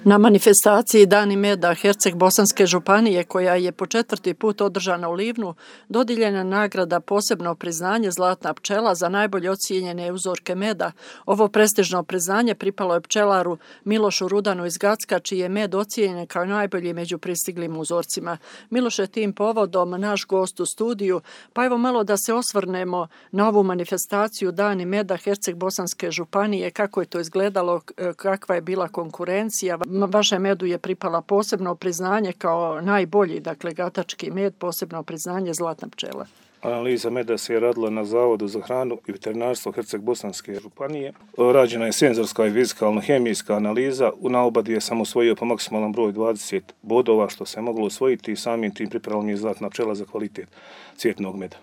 Na manifestaciji Dani meda Herceg-Bosanske županije, koja je po 4. put održana u Livnu, dodijeljena nagrada posebno priznanje Zlatna pčela za najbolje ocijenjene uzorke meda. Ovo prestižno priznanje pripalo je pčelaru Milošu Rudanu iz Gacka, čiji je med ocijenjen kao najbolji među pristiglim uzorcima. Miloš je tim povodom naš gost u studiju, pa evo malo da se osvrnemo na ovu manifestaciju Dani meda Herceg-Bosanske županije, kako je to izgledalo, kakva je bila konkurencija. Vašem medu je pripala posebno priznanje kao najbolji, dakle gatački med, posebno priznanje Zlatna pčela. Analiza meda se je radila na Zavodu za hranu i veterinarstvo Herceg-Bosanske županije. Rađena je senzorska i fizikalno-hemijska analiza. Na oba dvije sam osvojio po maksimalnom broju 20 bodova, što se moglo osvojiti i samim tim pripremila mi je Zlatna pčela za kvalitet cvjetnog meda.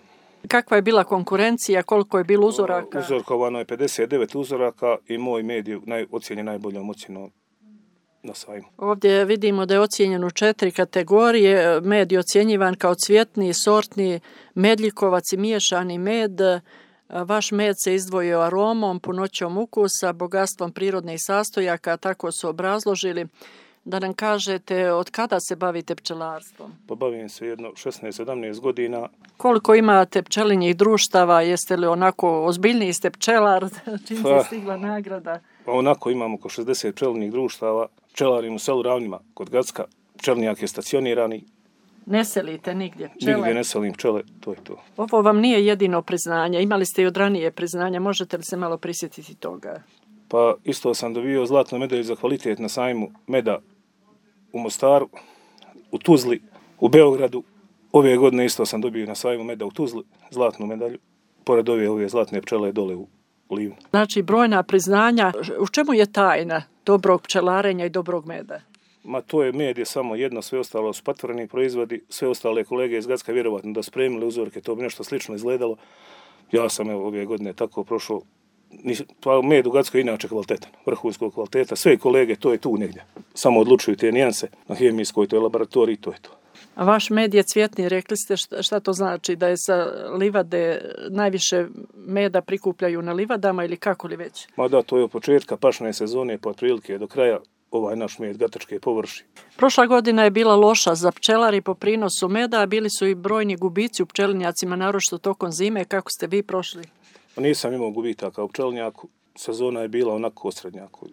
Kakva je bila konkurencija, koliko je bilo uzoraka? Uzorkovano je 59 uzoraka i moj med je ocijenjen najboljom ocjenom na sajmu. Ovdje vidimo da je ocijenjen u 4 kategorije. Med je ocjenjivan kao cvjetni, sortni, medljikovac i miješani med. Vaš med se izdvojio aromom, punoćom ukusa, bogatstvom prirodnih sastojaka, tako su obrazložili. Da nam kažete od kada se bavite pčelarstvom? Pa bavim se jedno 16-17 godina. Koliko imate pčelinjih društava? Jeste li onako ozbiljniji ste pčelar? Čim se stigla nagrada? Pa onako imamo oko 60 pčelinjih društava. Pčelarim u selu Ravnima kod Gacka. Pčelinjak je stacionirani. Ne selite nigdje pčele? Nigdje ne selim pčele, to je to. Ovo vam nije jedino priznanje. Imali ste i od ranije priznanja. Možete li se malo prisjetiti toga? Pa isto sam dobio zlatnu medalju za kvalitet na sajmu meda u Mostaru, u Tuzli, u Beogradu. Ove godine isto sam dobio na sajmu meda u Tuzli zlatnu medalju. Pored ove zlatne pčele dole u Livnu. Znači brojna priznanja. U čemu je tajna dobrog pčelarenja i dobrog meda? Ma to je med je samo jedno, sve ostalo su patvoreni proizvodi, sve ostale kolege iz Gacka vjerovatno da spremili uzorke, to bi nešto slično izgledalo. Ja sam ove godine tako prošao. Pa med u Gackoj je inače kvalitetan, vrhunskog kvaliteta, sve kolege to je tu negdje. Samo odlučuju te nijanse na hemijskoj, to je laboratorij, to je to. A vaš med je cvjetni, rekli ste šta to znači, da je sa livade najviše meda prikupljaju na livadama ili kako li već? Ma da, to je od početka pašne sezone pa otprilike do kraja ovaj naš med gatačke površi. Prošla godina je bila loša za pčelari po prinosu meda, a bili su i brojni gubici u pčelinjacima, naročito tokom zime. Kako ste vi prošli? Nisam imao gubitaka u pčelinjaku, sezona je bila onako osrednjaku.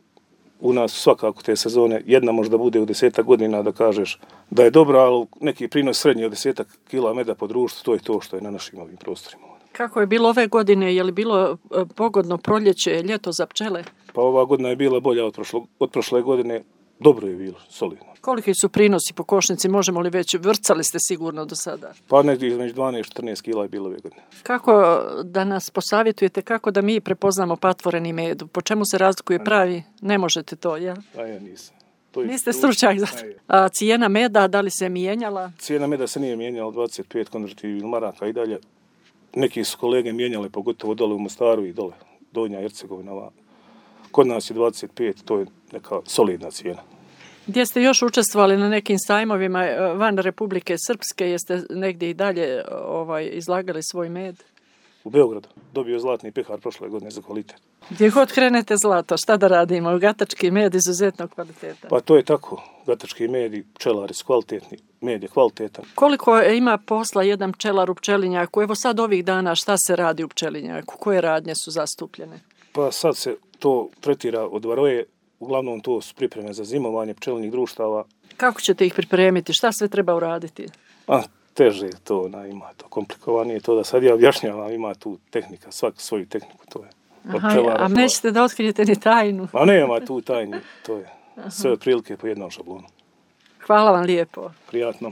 U nas svakako te sezone, jedna možda bude u 10 godina da kažeš da je dobra, ali neki prinos srednji od 10 kila meda po društvu, to je to što je na našim ovim prostorima. Kako je bilo ove godine? Je li bilo pogodno proljeće, ljeto za pčele? Pa ova godina je bila bolja od prošle godine, dobro je bilo, solidno. Koliki su prinosi po košnici, možemo li već, vrcali ste sigurno do sada? Pa negdje između 12-14 kila je bilo ove godine. Kako da nas posavjetujete, kako da mi prepoznamo patvoreni med? Po čemu se razlikuje pravi? Ne možete to, jel? A ja nisam. Niste stručnjak za to. A cijena meda, da li se mijenjala? Cijena meda se nije mijenjala, 25 konvertibilnih maraka i dalje. Neki su kolege mijenjale, pogotovo dole u Mostaru i dole, Donja Hercegovina. Kod nas je 25, to je neka solidna cijena. Gdje ste još učestvovali na nekim sajmovima van Republike Srpske, jeste negdje i dalje izlagali svoj med? U Beogradu. Dobio zlatni pehar prošle godine za kvalitet. Gdje god krenete zlato, šta da radimo? Gatački med izuzetnog kvaliteta. Pa to je tako. Gatački med i pčelari su kvalitetni. Med je kvalitetan. Koliko ima posla jedan pčelar u pčelinjaku? Evo sad ovih dana šta se radi u pčelinjaku? Koje radnje su zastupljene? Pa sad se to tretira od varoje. Uglavnom to su pripreme za zimovanje pčelinjih društava. Kako ćete ih pripremiti? Šta sve treba uraditi? Teže je to, ima to komplikovanije to da sad ja objašnjavam, ima tu tehnika, svak svoju tehniku, to je. A nećete da otkrijete ni tajnu? A nema tu tajni, to je sve otprilike po jednom šablonu. Hvala vam lijepo. Prijatno.